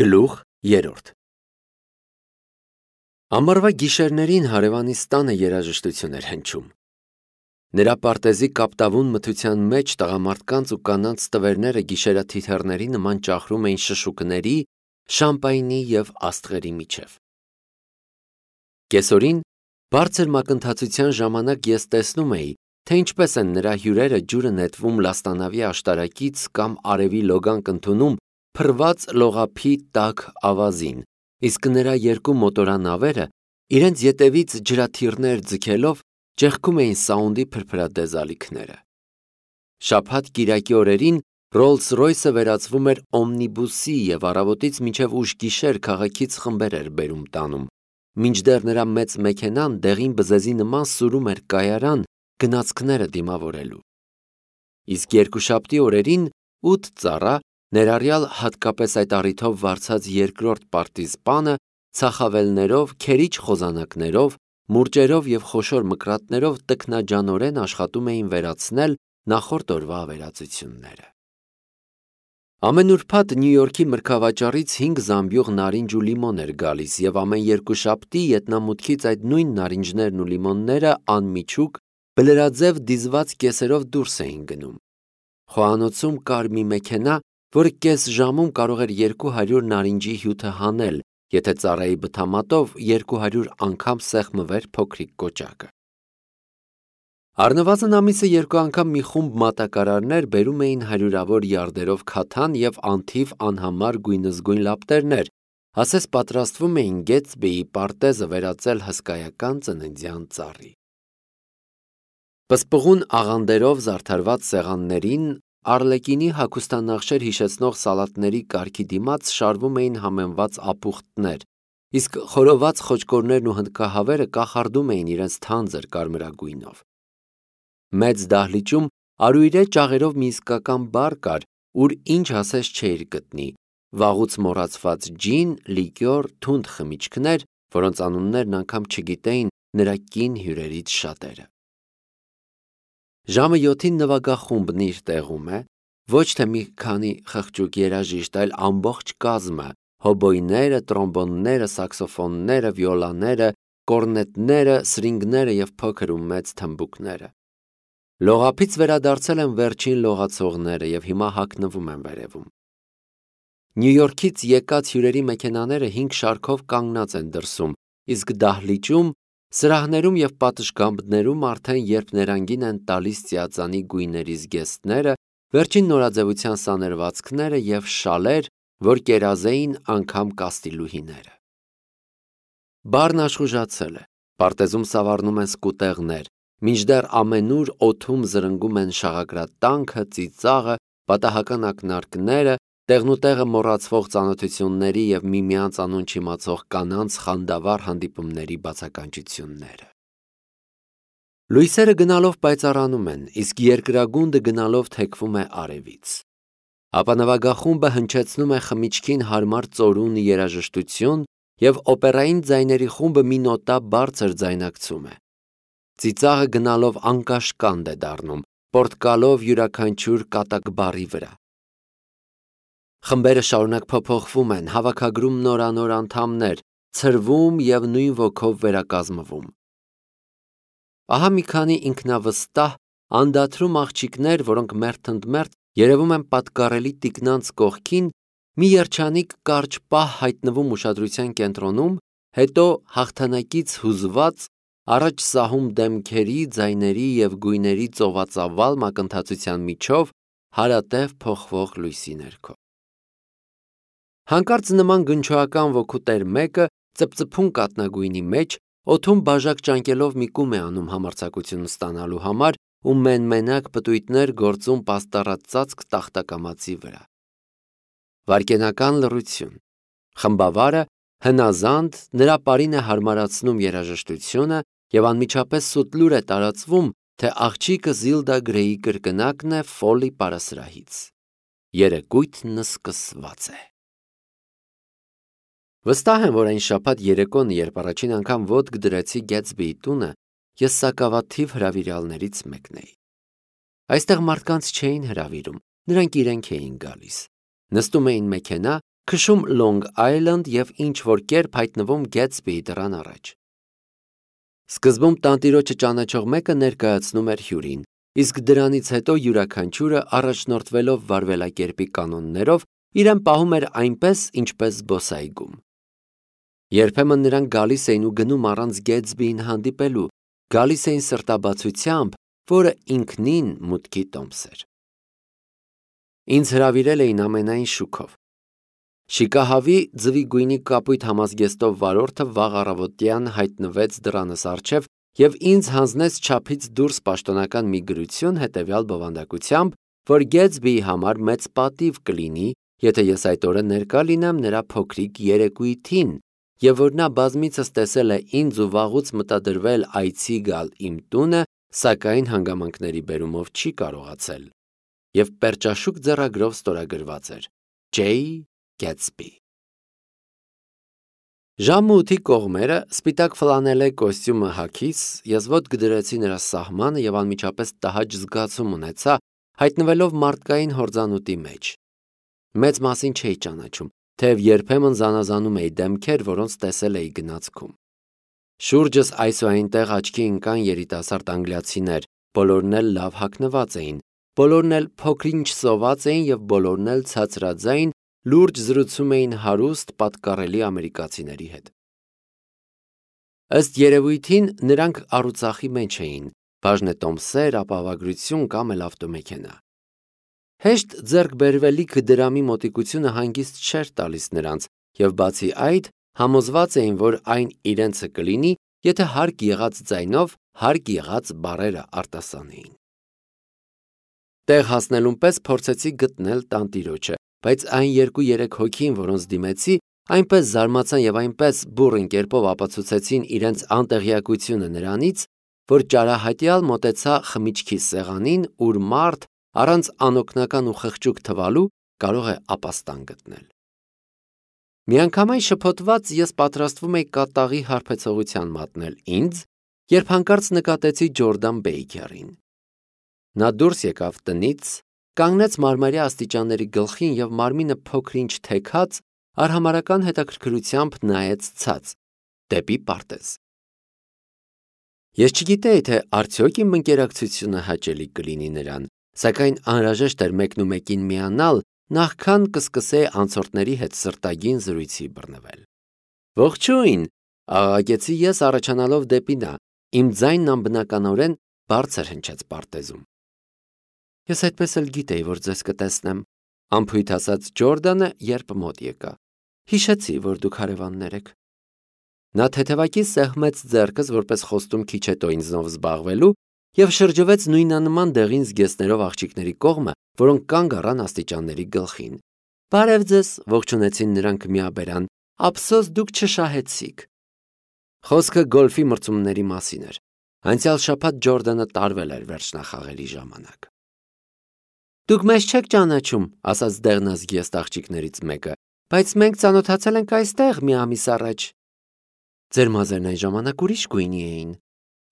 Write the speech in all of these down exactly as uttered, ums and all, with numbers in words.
Գլուխ երրորդ Ամառվա գիշերներին հարևանիս տանը երաժշտություն էր հնչում։ Նրա պարտեզի կապտավուն մթության մեջ տղամարդկանց ու կանանց տվերները գիշերաթիթեռների նման ճախրում էին շշուկների, շամպայնի և աստղերի միջև։ Կեսօրին բարձր մակընթացության ժամանակ ես տեսնում էի, թե ինչպես են նրա հյուրերը ջուրը նետվում լաստանավի աշտարակից կամ արևի լոգանք ընդունում փռված լողափի տաք ավազին, իսկ նրա երկու մոտորանավերը իրենց ետևից ջրաթիռներ ձգելով ճեղքում էին սաունդի փրփրադեզ ալիքները։ Շաբաթ-կիրակի օրերին Ռոլլս-Ռոյսը վերածվում էր օմնիբուսի և առավոտից մինչև ուշ գիշեր քաղաքից խմբեր էր բերում տանում, մինչդեռ նրա մեծ մեքենան դեղին բզեզի նման սուրում էր կայարան գնացքները դիմավորելու։ Իսկ երկուշաբթի օրերին ութ ծառա, ներառյալ հատկապես այդ առիթով վարձած երկրորդ պարտիզպանը, ցախավելներով, քերիչ խոզանակներով, մուրճերով և խոշոր մկրատներով տքնաջանորեն աշխատում էին վերացնել նախորդ օրվա ավերածությունները։ Ամեն ուրբաթ Նյու Յորքի մրգավաճառից հինգ զամբյուղ նարինջ ու լիմոն էր գալիս և ամեն երկուշաբթի ետնամուտքից այդ նույն նարինջներն ու լիմոնները անմիջուկ, բլրաձև դիզված կեսերով դուրս էին գնում։ Խոհանոցում կար մի մեքենա, որը կես ժամում կարող էր երկու հարյուր նարինջի հյութը հանել, եթե ծառայի բթամատով երկու հարյուր անգամ սեղմվեր փոքրիկ կոճակը։ Առնվազն ամիսը երկու անգամ մի խումբ մատակարարներ բերում էին հարյուրավոր յարդերով քաթան և անթիվ անհամար գույնզգույն լապտերներ, ասես պատրաստվում էին Գեթսբիի պարտեզը վերածել հսկայական ծննդյան ծառի։ Պսպղուն աղանդերով զարդարված սեղաններին Արլեկինի հագուստանախշեր հիշեցնող սալատների կարգի դիմաց շարվում էին համեմված ապուխտներ, իսկ խորոված խոճկորներն ու հնդկահավերը կախարդում էին իրենց թանձր կարմրագույնով։ Մեծ դահլիճում արույրե ճաղերով մի իսկական բար կար, ուր ինչ ասես չէիր գտնի, վաղուց մոռացված ջին, լիկյոր, թունդ խմիչքներ, որոնց անուններն անգամ չգիտեին նրա կին հյուրերից շատերը։ Ժամը յոթին նվագախումբն իր տեղում է, ոչ թե մի քանի խղճուկ երաժիշտ, այլ ամբողջ կազմը, հոբոյները, տրոմբոնները, սաքսոֆոնները, վիոլաները, կորնետները, սրինգները և փոքր ու մեծ թմբուկները։ Լողափից վերադարձել են վերջին լողացողները և հիմա հագնվում են վերևում։ Նյու Յորքից եկած հյուրերի մեքենաները հինգ շարքով կանգնած են դրսում, իսկ դահլիճում, սրահներում և պատշգամբներում արդեն երբ ներանգին են տալիս ծիածանի գույների զգեստները, վերջին նորաձևության սանրվածքները և շալեր, որ կերազեին անգամ կաստիլուհիները։ Բարն աշխուժացել է, պարտեզում սավառնում են սկուտեղներ, մինչդեռ ամենուր օդում զրնգում են շաղակրատանքը, ծիծաղը, պատահական ակնարկները, տեղնուտեղը մոռացվող ծանոթությունների և միմյանց անուն չիմացող կանանց խանդավառ հանդիպումների բացականչությունները։ Լույսերը գնալով պայծառանում են, իսկ երկրագունդը գնալով թեքվում է արևից։ Ապա նվագախումբը հնչեցնում է խմիչքին հարմար ծորուն երաժշտություն և օպերային ձայների խումբը մի նոտա բարձր ձայնակցում է։ Ծիծաղը գնալով անկաշկանդ է դառնում, պոռթկալով յուրաքանչյուր կատակբառի վրա։ Խմբերը շարունակ փոփոխվում են, հավաքագրում նորանոր անդամներ, ցրվում և նույն ոգով վերակազմվում։ Ահա մի քանի ինքնավստահ, անդադրում աղջիկներ, որոնք մերթ ընդ մերթ երևում են պատկառելի տիկնանց կողքին, մի երջանիկ կարճ պահ հայտնվում ուշադրության կենտրոնում, հետո հաղթանակից հուզված, առաջ սահում դեմքերի, ձայների և գույների ծովածավալ մակընթացության միջով հարատև փոխվող լույսի ներքո։ Հանկարծ նման գնչոական ոգու տեր մեկը ծպծփուն կաթնագույնի մեջ, օդում բաժակ ճանկելով մի կում է անում համարձակություն ստանալու համար ու մեն-մենակ պտույտներ գործում պաստառած ծածկ տախտակամածի վրա։ Վայրկենական լռություն։ Խմբավարը հնազանդ նրա պարին է հարմարացնում երաժշտությունը և անմիջապես սուտ լուր է տարածվում, թե աղջիկը Զիլդա Գրեյի կրկնակն է Ֆոլի պարասրահից։ Երեկույթն սկսված է։ Վստահ եմ, որ այն շաբաթ երեկոն, երբ առաջին անգամ ոտք դրեցի Գեթսբիի տունը, ես սակավաթիվ հրավիրյալներից մեկն էի։ Այստեղ մարդկանց չէին հրավիրում, նրանք իրենք էին գալիս։ Նստում էին մեքենա քշում Long Island և ինչ-որ կերպ հայտնվում Gatsby-ի դռան առաջ։ Սկզբում տանտիրոջը ճանաչող մեկը ներկայացնում էր հյուրին, իսկ դրանից հետո յուրաքանչյուրը առաջնորդվելով վարվելակերպի կանոններով իրեն պահում էր այնպես, ինչպես զբոսայգում։ Երբեմն նրանք գալիս էին ու գնում առանց Gatsby-ին հանդիպելու, գալիս էին սրտաբացությամբ, որը ինքնին մուտքի տոմս էր։ Ինձ հրավիրել էին ամենայն շուքով։ Շիկահավի ձվի գույնի կապույտ համազգեստով վարորդը վաղ առավոտյան հայտնվեց դռանս առջև և ինձ հանձնեց չափից դուրս պաշտոնական մի գրություն հետևյալ բովանդակությամբ, որ Gatsby-ի համար մեծ պատիվ կլինի, եթե ես այդ օրը ներկա լինեմ նրա փոքրիկ երեկույթին, և որ նա բազմիցս տեսել է ինձ ու վաղուց մտադրվել այցի գալ իմ տունը, սակայն հանգամանքների բերումով չի կարողացել, և պերճաշուք ձեռագրով ստորագրված էր J. Gatsby։ Ժամը ութի կողմերը սպիտակ ֆլանելե կոստյումը հագիս, ես ոտք դրեցի նրա սահմանը և անմիջապես տհաճ զգացում ունեցա, հայտնվելով մարդկային հորձանուտի մեջ։ Մեծ մասին չէի ճանաչում, թեև երբեմն զանազանում էի դեմքեր, որոնց տեսել էի գնացքում։ Շուրջս այս ու այնտեղ աչքի ընկան երիտասարդ անգլիացիներ, բոլորն էլ լավ հագնված էին, բոլորն էլ փոքր-ինչ սոված էին և բոլորն էլ ցածրաձայն լուրջ զրուցում էին հարուստ, պատկառելի ամերիկացիների հետ։ Ըստ երևույթին նրանք առուծախի մեջ էին, բաժնետոմսեր, ապահովագրություն կամ էլ ավտոմեքենա։ Հեշտ ձեռք բերվելիք դրամի մոտիկությունը հանգիստ չէր տալիս նրանց, և բացի այդ, համոզված էին, որ այն իրենցը կլինի, եթե հարկ եղած ձայնով հարկ եղած բառերը արտասանեին։ Տեղ հասնելուն պես փորձեցի գտնել տանտիրոջը, բայց այն երկու-երեք հոգին, որոնց դիմեցի, այնպես զարմացան և այնպես բուռն կերպով ապացուցեցին իրենց անտեղյակությունը նրանից, որ ճարահատյալ մոտեցա խմիչքի սեղանին, ուր մարդ, առանց անօգնական ու խղճուկ թվալու, կարող է ապաստան գտնել։ Միանգամայն շփոթված ես պատրաստվում էի կատաղի հարբեցողության մատնել ինձ, երբ հանկարծ նկատեցի Ջորդան Բեյքերին։ Նա դուրս եկավ տնից, կանգնեց մարմարյա աստիճանների գլխին և մարմինը փոքր-ինչ թեքած, արհամարհական հետաքրքրությամբ նայեց ցած, դեպի պարտեզ։ Ես չգիտեի, թե արդյոք իմ ընկերակցությունը հաճելի կլինի նրան, սակայն անհրաժեշտ էր մեկնումեկին միանալ, նախքան կսկսեի անցորդների հետ սրտագին զրույցի բռնվել։ Ողջույն, աղաղակեցի ես առաջանալով դեպի նա, իմ ձայնն անբնականորեն բարձր հնչեց պարտեզում։ Ես այդպես էլ գիտեի, որ ձեզ կտեսնեմ, անփույթ ասաց Ջորդանը, երբ մոտ եկա։ Հիշեցի, որ դուք հարևաններ եք։ Նա թեթևակի սեղմեց ձեռքս, որպես խոստում քիչ հետո ինձնով զբաղվելու, և շրջվեց նույնանման դեղին զգեստներով աղջիկների կողմը, որոնք կանգ առան աստիճանների գլխին։ Բարև ձեզ, ողջունեցին նրանք միաբերան, ափսոս դուք չշահեցիք։ Խոսքը գոլֆի մրցումների մասին էր։ Անցյալ շաբաթ Ջորդանը տարվել էր վերջնախաղերի ժամանակ։ Դուք մեզ չեք ճանաչում, ասաց դեղնազգեստ աղջիկներից մեկը, բայց մենք ծանոթացել ենք այստեղ մի ամիս առաջ։ Ձեր մազերն այն ժամանակ ուրիշ գույնի էին։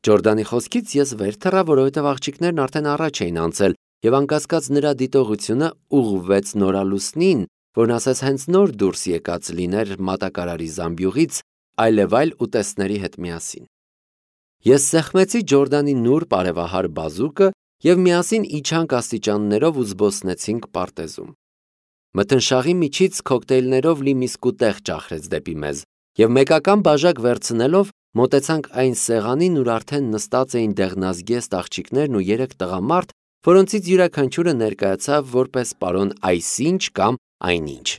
Ջորդանի խոսքից ես վեր թռա, որովհետև աղջիկներն արդեն առաջ էին անցել, և անկասկած նրա դիտողությունը ուղղվեց նորալուսնին, որն ասես հենց նոր դուրս եկած լիներ մատակարարի զամբյուղից, այլևայլ ուտեստների հետ միասին։ Ես սեղմեցի Ջորդանի նուրբ արևահար բազուկը և միասին իջանք աստիճաններով ու զբոսնեցինք պարտեզում։ Մթնշաղի միջից քոկտեյլներով լի մի սկուտեղ ճախրեց դեպի մեզ, և մեկական բաժակ վերցնելով մոտեցանք այն սեղանին, ուր արդեն նստած էին դեղնազգեստ աղջիկներն ու երեք տղամարդ, որոնցից յուրաքանչյուրը ներկայացավ որպես պարոն այսինչ կամ այնինչ։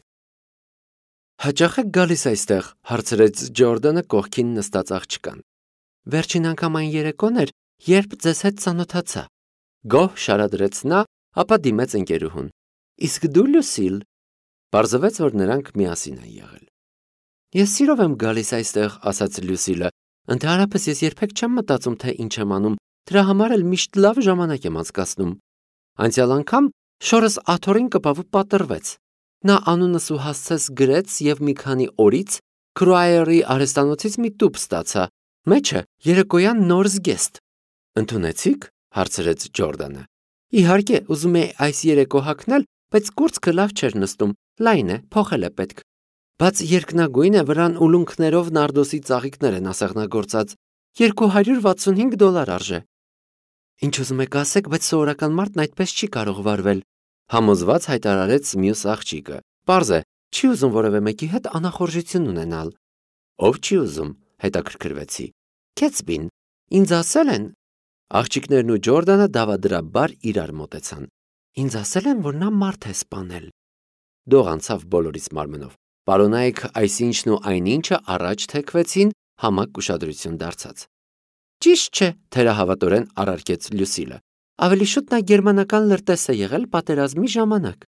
Հաճա՞խ եք գալիս այստեղ, հարցրեց Ջորդանը կողքին նստած աղջկան։ Վերջին անգամ այն երեկոն էր, երբ ձեզ հետ ծանոթացա։ Գոհ շարադրեց նա, ապա դիմեց ընկերուհուն։ Իսկ դու Լուսիլ։ Պարզվեց, որ նրանք միասին են եղել։ Ես սիրով եմ գալիս այստեղ, ասաց Լուսիլը։ Ընդհանրապես ես երբեք չեմ մտածում, թե ինչ եմ անում, դրա համար էլ միշտ լավ ժամանակ եմ անցկացնում։ Անցյալ անգամ շորս աթոռին կպավ ու պատռվեց։ Նա անունս ու հասցես գրեց և մի քանի օրից Քրուայերի արհեստանոցից մի տուփ ստացա։ Մեջը երեկոյան նոր զգեստ։ Ընդունեցի՞ք, հարցրեց Ջորդանը։ Իհարկե, ուզում էի այս երեկո հագնել, բայց կուրծքը լավ չէր նստում, Լայն է, փոխել է պետք։ Բայց երկնագույն է, վրան ուլունքներով նարդոսի ծաղիկներ են ասեղնագործած, երկու հարյուր վաթսունհինգ դոլար արժե։ Ինչ ուզում եք ասեք, բայց սովորական մարդն այդպես չի կարող վարվել, համոզված հայտարարեց մյուս աղջիկը։ Պարզ է, չի ուզում որևէ մեկի հետ անախորժություն ունենալ։ Ով չի ուզում, հետաքրքրվեցի։ Քեթսբին, ինձ ասել են։ Աղջիկներն ու Ջորդանը դավադրաբար իրար մոտեցան։ Ինձ ասել են, որ նա մարդ է սպանել։ Դող անցավ բոլորից մարմնով։ Պարոնայք այսինչն ու այնինչը առաջ թեքվեցին, համակ ուշադրություն դարձած։ Ճիշտ չէ, թերահավատորեն առարկեց Լյուսիլը։ Ավելի շուտ նա գերմանական լրտես է եղել պատերազմի ժամանակ։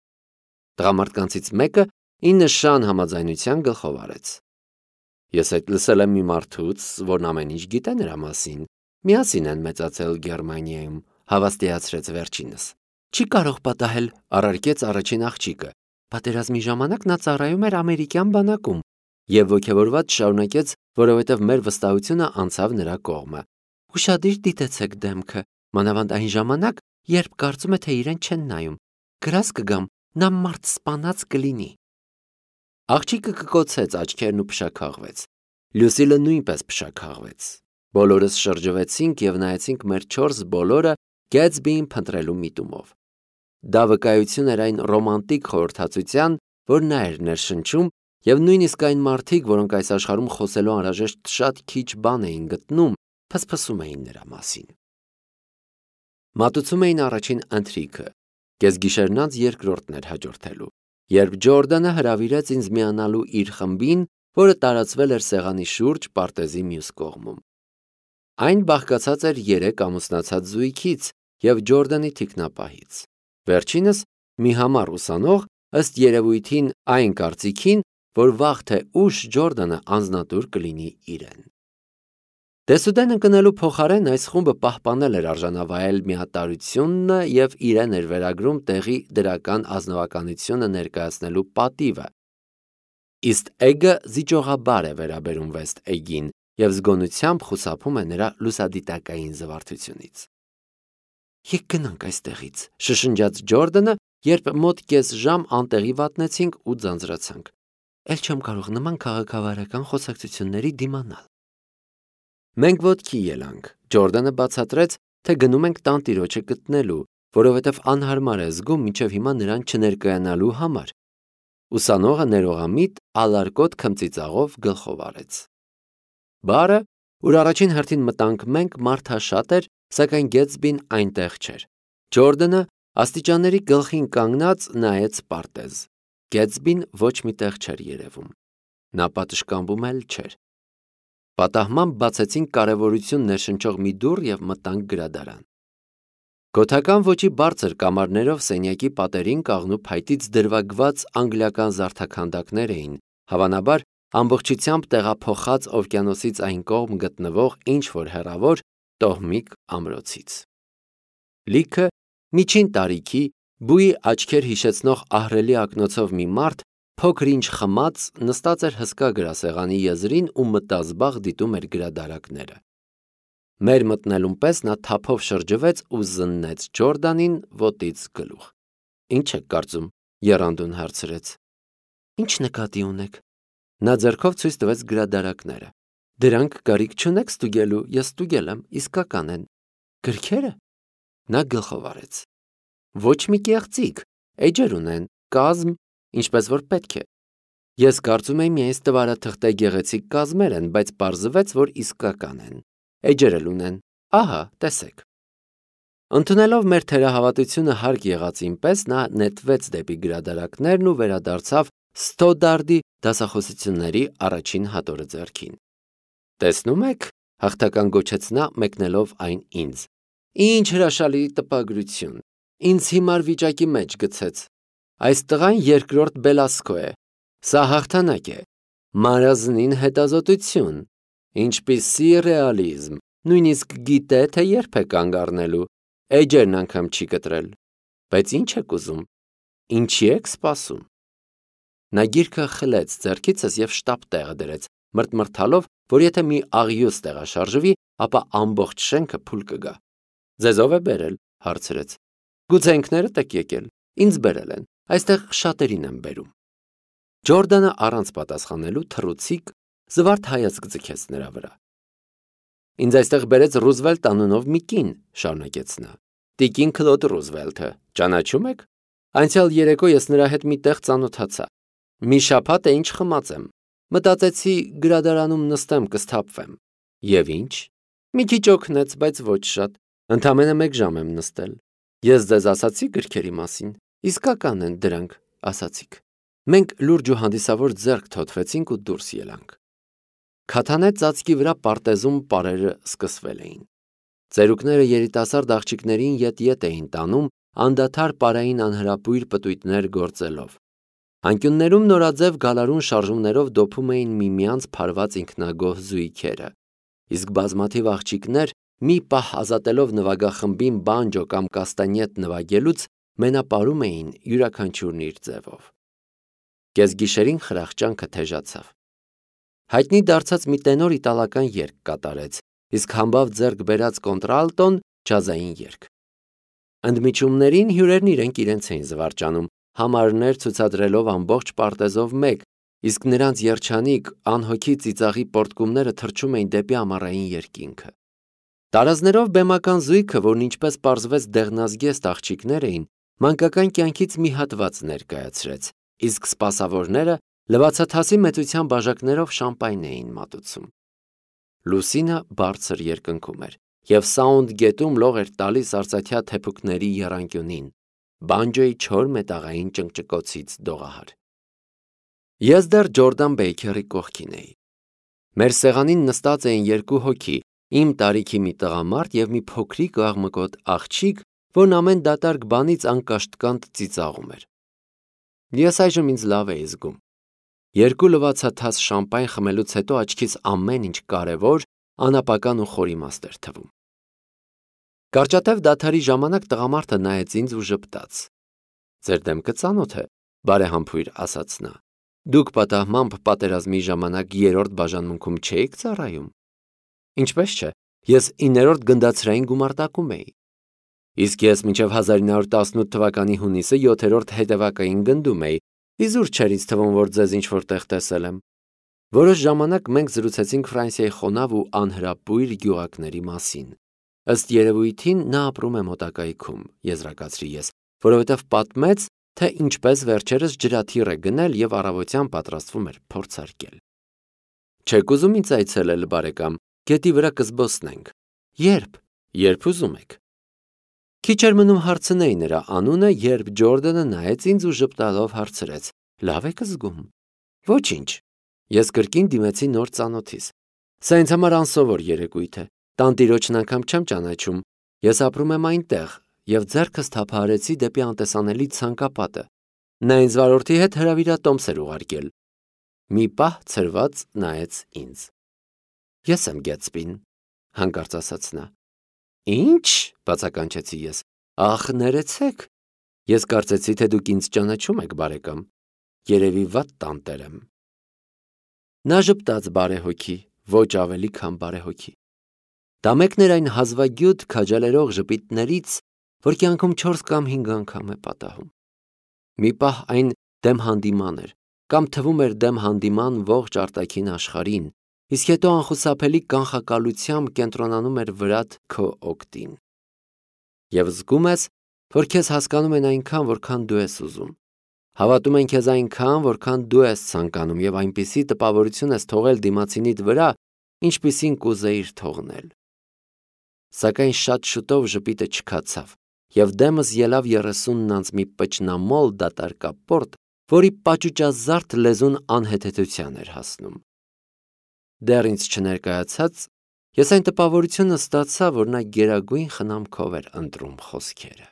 Տղամարդկանցից մեկը ի նշան համաձայնության գլխով արեց։ Ես այդ լսել եմ մի մարդուց, որն ամեն ինչ գիտե նրա մասին։ Միասին են մեծացել Գերմանիայում, հավաստիացրեց վերջինս։ Չի կարող պատահել, առարկեց առաջին աղջիկը։ Պատերազմի ժամանակ նա ծառայում էր ամերիկյան բանակում եւ ոգևորված շարունակեց, որովհետեւ մեր վստահությունը անցավ նրա կողմը։ Ուշադիր դիտեցեք դեմքը, մանավանդ այն ժամանակ, երբ կարծում է, թե իրեն չեն նայում։ Գրած կգամ, նա մարդ սպանած կլինի։ Աղջիկը կկոցեց աչքերն ու փշաքաղվեց։ Լյուսիլը նույնպես փշաքաղվեց։ Բոլորս շրջվեցինք եւ նայեցինք մեր չորս բոլորը Գեթսբիին փնտրելու միտումով։ Դա վկայություն էր այն ռոմանտիկ խորհրդածության, որ նա էր ներշնչում, եւ նույնիսկ այն մարդիկ, որոնք այս աշխարհում խոսելու անհրաժեշտ շատ քիչ բան էին գտնում, փսփսում էին նրա մասին։ Մատուցում էին առաջին ընթրիքը, կեսգիշերն անց երկրորդն էր հաջորդելու, երբ Ջորդանը հրավիրեց ինձ միանալու իր խմբին, որը տարածվել էր սեղանի շուրջ պարտեզի մյուս կողմում։ Այն բաղկացած էր երեք ամուսնացած զույգից եւ Ջորդանի թիկնապահից։ Վերջինս մի համառ ուսանող, ըստ երևույթին այն կարծիքին, որ վաղ թե ուշ Ջորդանը անձնատուր կլինի իրեն։ Դեսուդեն ընկնելու փոխարեն այս խումբը պահպանել էր արժանավայել միատարությունն եւ իրեն էր վերագրում տեղի դրական ազնվականությունը ներկայացնելու պատիվը։ Իսկ Էգը զիջողաբար է վերաբերում Վեստ Էգին եւ զգոնությամբ խուսափում է նրա լուսադիտակային զվարթությունից։ Եկ գնանք այստեղից, շշնջաց Ջորդանը, երբ մոտ կես ժամ անտեղի վատնեցինք ու ձանձրացանք։ Էլ չեմ կարող նման քաղաքավարական խոսակցությունների դիմանալ։ Մենք ոտքի ելանք։ Ջորդանը բացատրեց, թե գնում ենք տանտիրոջը գտնելու, որովհետև անհարմար է զգում մինչև հիմա նրան չներկայանալու համար։ Ուսանողը ներողամիտ ալարկոտ քմծիծաղով գլխով արեց։ Բարը, ուր առաջին հերթին մտանք մենք, մարդաշատ էր, սակայն Գեթսբին այնտեղ չէր։ Ջորդանը աստիճանների գլխին կանգնած նայեց պարտեզ։ Գեթսբին ոչ մի տեղ չէր երևում։ Նա պատշգամբում էլ չէր։ Պատահմամբ բացեցինք կարևորություն ներշնչող մի դուռ եւ մտանք գրադարան։ Գոթական ոճի բարձր կամարներով սենյակի պատերին կաղնու փայտից դրվագված անգլիական զարդաքանդակներ էին, հավանաբար ամբողջությամբ տեղափոխած օվկիանոսից այն կողմ գտնվող ինչ-որ հեռավոր տոհմիկ ամրոցից։ Լիքը միջին տարիքի, բույի աչքեր հիշեցնող ահռելի ակնոցով մի մարդ, փոքր-ինչ խմած, նստած էր հսկա գրասեղանի եզրին ու մտազբաղ դիտում էր գրադարակները։ Մեր մտնելուն պես նա թափով շրջվեց ու զննեց Ջորդանին ոտից գլուխ։ Ինչ եք կարծում, եռանդուն հարցրեց։ Ինչ նկատի ունեք։ Նա ձեռքով ցույց տվեց գրադարակները։ Դրանք կարիք չունեք ստուգելու, ես ստուգել եմ, իսկական են։ Գրքերը։ Նա գլխով արեց։ Ոչ մի կեղծիք, էջեր ունեն, կազմ, ինչպես որ պետք է։ Ես կարծում եմ միայն ստվարաթղթե գեղեցիկ կազմեր են, բայց պարզվեց, որ իսկական են։ Էջեր էլ ունեն, ահա, տեսեք։ Ընդունելով մեր թերահավատությունը հարկ եղածին պես նա նետվեց դեպի գրադարակներն ու վերադարձավ Ստոդարդի դասախոսությունների առաջին հատորը ձեռքին։ Տեսնում եք, հաղթական գոչեց նա մեկնելով այն ինձ։ Ինչ հրաշալի տպագրություն։ Ինձ հիմար վիճակի մեջ գցեց։ Այս տղան երկրորդ Բելասկո է։ Սա հաղթանակ է։ Մարազնին հետազոտություն։ Ինչպիսի ռեալիզմ։ Նույնիսկ գիտե, թե երբ է կանգ առնելու։ Էջերն անգամ չի կտրել։ Բայց ինչ եք ուզում։ Ինչի եք սպասում։ Նա գիրքը խլեց ձեռքիցս եւ շտապ տեղը դրեց, մրթմրթալով, որ եթե մի աղյուս տեղաշարժվի, ապա ամբողջ շենքը փուլ կգա։ Ձեզ ով է բերել, հարցրեց։ Գուցե ինքներդ եք եկել, ինձ բերել են, այստեղ շատերին եմ բերում։ Ջորդանը առանց պատասխանելու թռուցիկ զվարթ հայացք ձգեց նրա վրա։ Ինձ այստեղ բերեց Ռուզվելտ անունով մի կին, շարունակեց նա։ Տիկին Քլոդ Ռուզվելթը, ճանաչում եք։ Անցյալ երեկո ես նրա հետ մի տեղ ծանոթացա։ Մի շաբաթ է ինչ խմած եմ։ Մտածեցի գրադարանում նստեմ, կսթափվեմ։ Եվ ինչ։ Մի քիչ օգնեց, բայց ոչ շատ։ Ընդամենը մեկ ժամ եմ նստել։ Ես ձեզ ասացի գրքերի մասին։ Իսկական են դրանք, ասացիք։ Մենք լուրջ ու հանդիսավոր ձեռք թոթվեցինք ու դուրս ելանք։ Քաթանե ծածկի վրա պարտեզում պարերը սկսվել էին։ Ծերուկները երիտասարդ աղջիկներին ետ-ետ էին տանում, անդադար պարային անհրապույր պտույտներ գործելով։ Անկյուններում նորաձև գալարուն շարժումներով դոփում էին միմյանց փարված ինքնագոհ զույգերը, իսկ բազմաթիվ աղջիկներ մի պահ ազատելով նվագախմբին բանջո կամ կաստանյետ նվագելուց մենապարում էին յուրաքանչյուրն իր ձևով։ Կեսգիշերին խրախճանքը թեժացավ։ Հայտնի դարձած մի տենոր իտալական երգ կատարեց, իսկ համբավ ձեռք բերած կոնտրալտոն ջազային երգ։ Ընդմիջումներին հյուրերն իրենք իրենց էին զվարճանում, համարներ ցուցադրելով ամբողջ պարտեզով մեկ, իսկ նրանց երջանիկ, անհոգի ծիծաղի պոռթկումները թռչում էին դեպի ամառային երկինքը։ Տարազներով բեմական զույգը, որն ինչպես պարզվեց դեղնազգեստ աղջիկներ էին, մանկական կյանքից մի հատված ներկայացրեց, իսկ սպասավորները լվացաթասի մեծության բաժակներով շամպայն էին մատուցում։ Լուսինը բարձր երկնքում էր, և Սաունդ գետում լող էր տալիս արծաթյա թեփուկների եռանկյունին, բանջոյի չոր մետաղային ճնճկոցից դողահար։ Ես դեռ Ջորդան Բեյքերի կողքին էի։ Մեր սեղանին նստած էին երկու հոգի, իմ տարիքի մի տղամարդ և մի փոքրիկ աղմկոտ աղջիկ, որն ամեն դատարկ բանից անկաշտկանտ ծիծաղում էր։ Ես այժմ ինձ լավ էի զգում։ Երկու լվացաթաս շամպայն խմելուց հետո աչքիս ամեն ինչ կարևոր, անապական ու խորիմաստ էր թվում։ Կարճատև դադարի ժամանակ տղամարդը նայեց ինձ ու ժպտաց։ Ձեր դեմքը ծանոթ է, բարեհամբույր ասաց նա։ Դուք պատահմամբ պատերազմի ժամանակ երրորդ բաժանմունքում չէիք ծառայում։ Ինչպես չէ, ես իններորդ գնդացրային գումարտակում էի։ Իսկ ես մինչև հազար ինը հարյուր տասնութ թվականի հունիսը յոթերորդ հետևակային գնդում էի, իզուր չէր ինձ թվում, որ ձեզ ինչ-որ տեղ տեսել եմ։ Որոշ ժամանակ մենք զրուցեցինք Ֆրանսիայի խոնավ ու անհրապույր գյուղակների մասին։ Ըստ երևույթին նա ապրում է մոտակայքում, եզրակացրի ես, որովհետև պատմեց, թե ինչպես վերջերս ջրաթիռ է գնել և առավոտյան պատրաստվում էր փորձարկել։ Չեք ուզում ինձ այցելել, բարեկամ, գետի վրա կզբոսնենք։ Երբ, երբ ուզում եք։ Քիչ էր մնում հարցնեի նրա անունը, երբ Ջորդանը նայեց ինձ ու ժպտալով հարցրեց. Լավ եք զգում։ Ոչինչ։ Ես կրկին դիմեցի նոր ծանոթիս։ Սա ինձ համար անսովոր երեկույթ է։ Տանտիրոջն անգամ չեմ ճանաչում։ Ես ապրում եմ այնտեղ և ձեռքս թափահարեցի դեպի անտեսանելի ցանկապատը։ Նա ինձ վարորդի հետ հրավիրատոմս էր ուղարկել։ Մի պահ ցրված նայեց ինձ։ Ես եմ Գետսբին, հանկարծ ասաց նա։ Ինչ, բացականչեցի ես։ Ախ, ներեցեք։ Ես կարծեցի, թե դուք ինձ ճանաչում եք, բարեկամ։ Երևի վատ տանտեր եմ։ Նա ժպտաց բարեհոգի, ոչ ավելի, քան բարեհոգի։ Դա մեկն էր այն հազվագյուտ քաջալերող ժպիտներից, որ կյանքում չորս կամ հինգ անգամ է պատահում։ Մի պահ այն դեմ հանդիման էր, կամ թվում էր դեմ հանդիման ողջ արտաքին աշխարհին, իսկ հետո անխուսափելի կանխակալությամբ կենտրոնանում էր վրադ քո օգտին։ Եվ զգում ես, որ քեզ հասկանում են այնքան, որքան դու ես ուզում։ Հավատում են քեզ այնքան, որքան դու ես ցանկանում և այնպիսի տպավորություն ես թողել դիմացինիդ վրա, ինչպիսին կուզեիր թողնել։ Սակայն շատ շուտով ժպիտը չքացավ, և դեմս ելավ երեսունն անց մի պճնամոլ դատարկապորտ, որի պաճուճազարդ լեզուն անհեթեթության էր հասնում։ Դեռ ինձ չներկայացած, ես այն տպավորությունը ստացա, որ նա գերագույն խնամքով էր ընտրում խոսքերը։